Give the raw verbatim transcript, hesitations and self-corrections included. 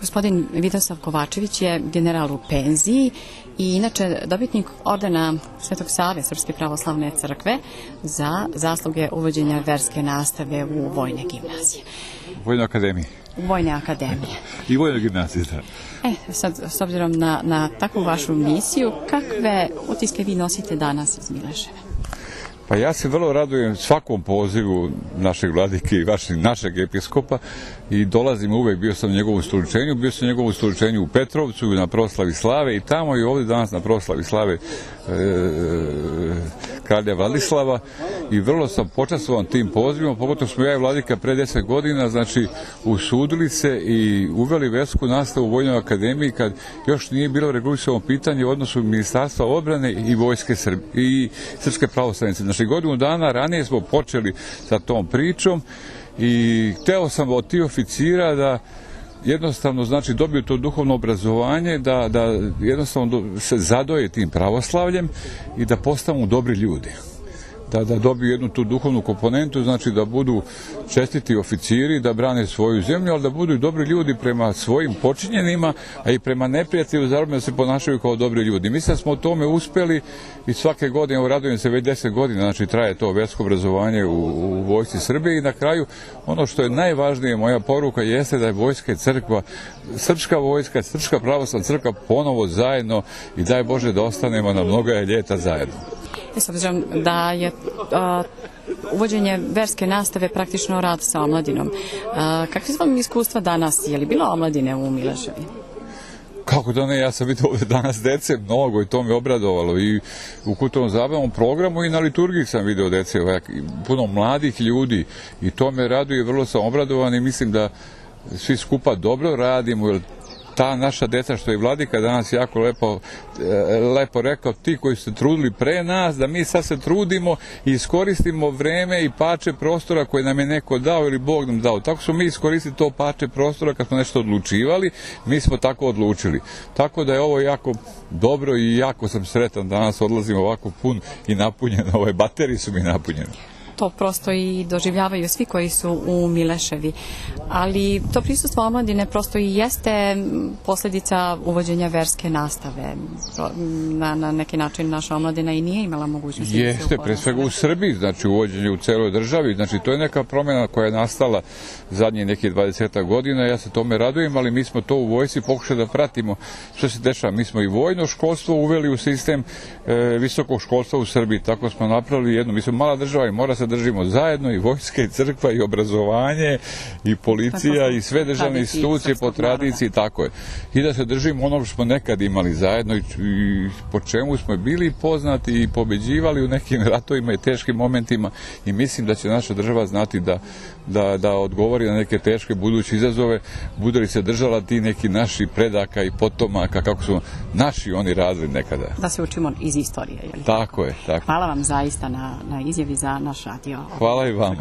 Gospodin Vidosav Kovačević je general u penziji i inače dobitnik ordena Svetog Save Srpske pravoslavne crkve za zasluge uvođenja verske nastave u vojne gimnazije. U Vojnoj akademiji. U Vojne akademije. I Vojnoj gimnaziji, da. E, sad, s obzirom na, na takvu vašu misiju, kakve utiske vi nosite danas iz Mileševa? Pa ja se vrlo radujem svakom pozivu našeg vladike i vašeg, našeg episkopa i dolazim uvek, bio sam na njegovom ustoličenju, bio sam na njegovom ustoličenju u Petrovcu na proslavi slave i tamo i ovdje danas na proslavi slave e, kralja Vladislava i vrlo sam počastvovan tim pozivom, pogotovo smo ja i vladika pre deset godina, znači usudili se i uveli versku nastavu u Vojnoj akademiji kad još nije bilo regulisano pitanje u odnosu Ministarstva odbrane i vojske Srbije i Srpske pravoslavne. Znači, godinu dana ranije smo počeli sa tom pričom i hteo sam od tih oficira da jednostavno, znači, dobiju to duhovno obrazovanje, da, da jednostavno se zadoje tim pravoslavljem i da postanu dobri ljudi. Da, da dobiju jednu tu duhovnu komponentu, znači da budu čestiti oficiri, da brane svoju zemlju, ali da budu i dobri ljudi prema svojim počinjenima, a i prema neprijatelju, zarobljem da se ponašaju kao dobri ljudi. Mislim da smo o tome uspeli i svake godine, evo radujem se već deset godina, znači traje to versko obrazovanje u, u vojsci Srbije i na kraju ono što je najvažnije, moja poruka jeste da je vojska i crkva, srpska vojska, srpska pravoslavna crkva ponovo zajedno i daj Bože da ostanemo na mnoga ljeta zajedno. S obzirom da je a, uvođenje verske nastave praktično rad sa omladinom. A, kakve su vam iskustva danas? Je li bilo omladine u Mileševi? Kako da ne, ja sam vidio ovdje danas dece mnogo i to me obradovalo i u kulturnom zabavnom programu i na liturgiji sam vidio dece, puno mladih ljudi i to me raduje, vrlo sam obradovan i mislim da svi skupa dobro radimo, jer ta naša deca, što je vladika danas jako lepo, lepo rekao, ti koji ste trudili pre nas, da mi sad se trudimo i iskoristimo vreme i pače prostora koje nam je neko dao ili Bog nam dao. Tako smo mi iskoristili to pače prostora kad smo nešto odlučivali, mi smo tako odlučili. Tako da je ovo jako dobro i jako sam sretan, danas odlazim ovako pun i napunjen, ove baterije su mi napunjene. To prosto i doživljavaju svi koji su u Mileševi. Ali to prisustvo omladine prosto i jeste posljedica uvođenja verske nastave. Na, na neki način naša omladina i nije imala mogućnosti. Jeste, pre svega u Srbiji, znači uvođenje u celoj državi. Znači to je neka promjena koja je nastala zadnjih nekih dvadesetak godina. Ja se tome radujem, ali mi smo to u vojsci pokušali da pratimo što se dešava. Mi smo i vojno školstvo uveli u sistem e, visokog školstva u Srbiji. Tako smo napravili jedno. Mi smo mala država i mora se držimo zajedno i vojska i crkva i obrazovanje i policija i sve državne institucije po tradiciji, tako je. I da se držimo onog što smo nekad imali zajedno i, i po čemu smo bili poznati i pobeđivali u nekim ratovima i teškim momentima i mislim da će naša država znati da, da, da odgovori na neke teške buduće izazove, bude li se držala ti neki naši predaka i potomaka kako su naši oni radili nekada. Da se učimo iz istorije, je li? Tako je, tako. Hvala vam zaista na, na izjavi za naš radio. Hvala i vama.